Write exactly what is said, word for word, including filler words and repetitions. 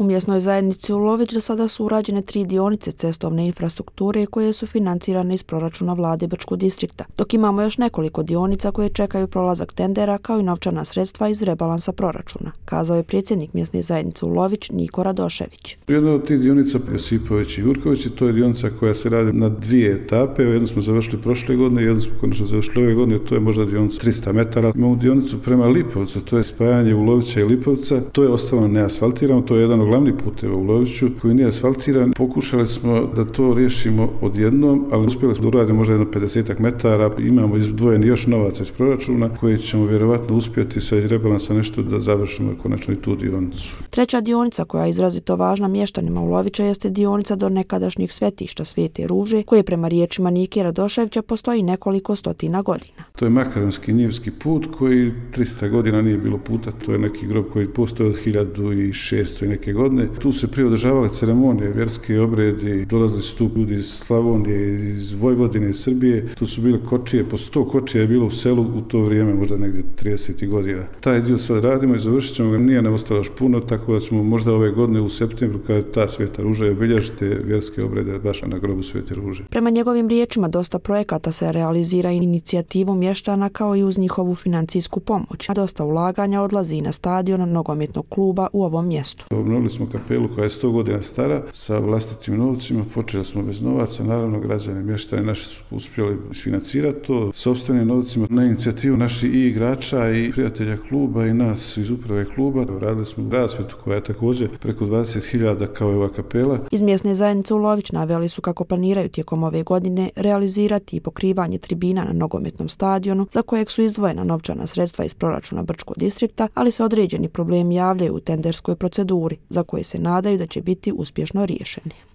U mjesnoj zajednici Ulović do sada su urađene tri dionice cestovne infrastrukture koje su financirane iz proračuna vlade Brčkog distrikta, dok imamo još nekoliko dionica koje čekaju prolazak tendera kao i novčana sredstva iz rebalansa proračuna, kazao je predsjednik mjesne zajednice Ulović Niko Radošević. Jedna od tih dionica Josipović i Jurković, to je dionica koja se radi na dvije etape. Jednu smo završili prošle godine, jednu smo konačno završili ove godine, to je možda dionica tristo metara. Imamo dionicu prema Lipovcu, to je spajanje Ulovića i Lipovca, to je ostalo neasfaltirano, to je jedan od glavnih puteva u Uloviću koji nije asfaltiran. Pokušali smo da to riješimo odjednom, ali uspjeli smo da uradimo možda jedno pedesetak metara. Imamo izdvojeni još novaca iz proračuna koji ćemo vjerovatno uspjeti sa iz rebalansa nešto da završimo konačno i tu dionicu. Treća dionica koja je izrazito važna mještanima Ulovića jeste dionica do nekadašnjih svetišta Svete Ruže, koje prema riječima Nike Radoševića postoji nekoliko stotina godina. To je makaronski njivski put koji tristo godina nije bilo puta. To je neki grob koji postoji od hiljadu šesto i neke godine. Tu se prije održavale ceremonije, vjerske obredi, dolazili su tu ljudi iz Slavonije, iz Vojvodine, iz Srbije. Tu su bile kočije, po sto kočija je bilo u selu u to vrijeme, možda negdje trideset godina. Taj dio sad radimo i završit ćemo ga, nije nam ostalo još puno, tako da ćemo možda ove godine u septembru, kada ta Sveta Ruža je obilježiti vjerske obrede baš na grobu Svete Ruže. Prema njegovim riječima, dosta projekata se realizira inicijativom mještana kao i uz njihovu financijsku pomoć, a dosta ulaganja odlazi na stadion nogometnog kluba u ovom mjestu. Obnovili smo kapelu koja je sto godina stara sa vlastitim novcima, počeli smo bez novaca, naravno građani mještani naši su uspjeli isfinancirati to sopstvenim novcima na inicijativu naših i igrača i prijatelja kluba i nas iz uprave kluba. Radili smo rasvjetu koja je također preko dvadeset hiljada kao i ova kapela. Iz mjesne zajednice Ulović naveli su kako planiraju tijekom ove godine realizirati i pokrivanje tribina na nogometnom stadionu za kojeg su izdvojena novčana sredstva iz proračuna Brčkog distrikta, ali se određeni problemi javljaju u tenderskoj proceduri za koje se nadaju da će biti uspješno riješeni.